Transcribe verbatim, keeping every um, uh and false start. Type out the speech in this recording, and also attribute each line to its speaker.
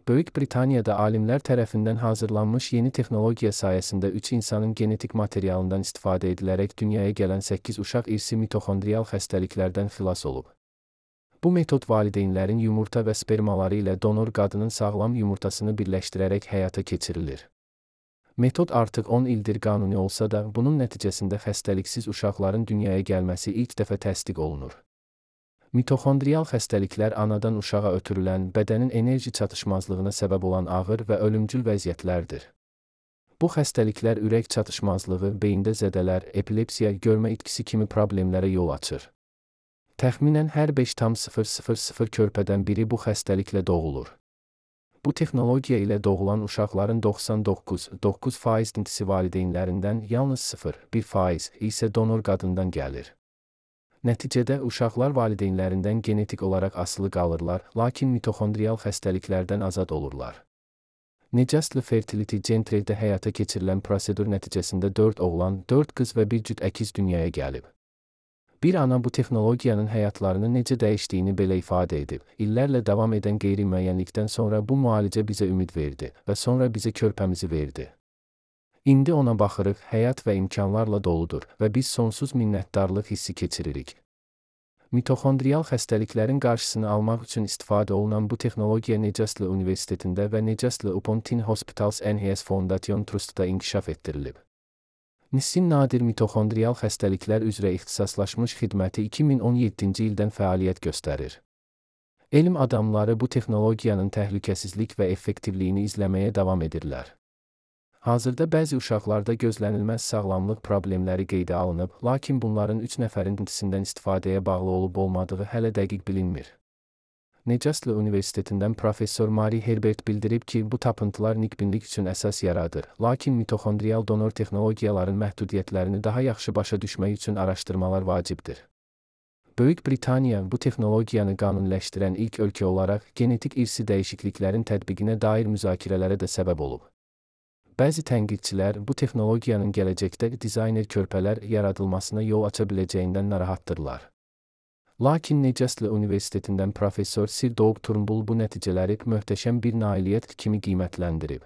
Speaker 1: Böyük Britaniyada alimlər tərəfindən hazırlanmış yeni texnologiya sayəsində üç insanın genetik materialından istifadə edilərək dünyaya gələn səkkiz uşaq irsi mitoxondrial xəstəliklərdən xilas olub. Bu metod valideynlərin yumurta və spermaları ilə donor qadının sağlam yumurtasını birləşdirərək həyata keçirilir. Metod artıq on ildir qanuni olsa da, bunun nəticəsində xəstəliksiz uşaqların dünyaya gəlməsi ilk dəfə təsdiq olunur. Mitoxondrial xəstəliklər anadan uşağa ötürülən, bədənin enerji çatışmazlığına səbəb olan ağır və ölümcül vəziyyətlərdir. Bu xəstəliklər ürək çatışmazlığı, beyində zədələr, epilepsiya, görmə itkisi kimi problemlərə yol açır. Təxminən hər beş tam sıfır sıfır sıfır körpədən biri bu xəstəliklə doğulur. Bu texnologiya ilə doğulan uşaqların doxsan doqquz nöqtə doqquz faizintisi valideynlərindən, yalnız sıfır nöqtə bir faiz isə donor qadından gəlir. Nəticədə uşaqlar valideynlərindən genetik olaraq asılı qalırlar, lakin mitoxondrial xəstəliklərdən azad olurlar. Necəsli Fertility Centre-də həyata keçirilən prosedur nəticəsində dörd oğlan, dörd qız və bir cüt əkiz dünyaya gəlib. Bir ana bu texnologiyanın həyatlarını necə dəyişdiyini belə ifadə edib: "İllərlə davam edən qeyri-müəyyənlikdən sonra bu müalicə bizə ümid verdi və sonra bizə körpəmizi verdi. İndi ona baxırıq, həyat və imkanlarla doludur və biz sonsuz minnətdarlıq hissi keçiririk." Mitoxondrial xəstəliklərin qarşısını almaq üçün istifadə olunan bu texnologiya Newcastle Universitetində və Newcastle upon Tyne Hospitals N H S Foundation Trust'da inkişaf etdirilib. N I S-in nadir mitoxondrial xəstəliklər üzrə ixtisaslaşmış xidməti iki min on yeddinci ildən fəaliyyət göstərir. Elm adamları bu texnologiyanın təhlükəsizlik və effektivliyini izləməyə davam edirlər. Hazırda bəzi uşaqlarda gözlənilməz sağlamlıq problemləri qeydə alınıb, lakin bunların üç nəfərin intisindən istifadəyə bağlı olub-olmadığı hələ dəqiq bilinmir. Newcastle Universitetindən professor Mary Herbert bildirib ki, bu tapıntılar nikbinlik üçün əsas yaradır, lakin mitoxondrial donor texnologiyaların məhdudiyyətlərini daha yaxşı başa düşmək üçün araşdırmalar vacibdir. Böyük Britaniya bu texnologiyanı qanuniləşdirən ilk ölkə olaraq genetik irsi dəyişikliklərin tətbiqinə dair müzakirələrə də səbəb olub. Bəzi tənqidçilər bu texnologiyanın gələcəkdə dizayner körpələr yaradılmasına yol aça biləcəyindən narahatdırlar. Lakin Newcastle Universitetindən professor Sir Doug Turnbull bu nəticələri möhtəşəm bir nailiyyət kimi qiymətləndirib.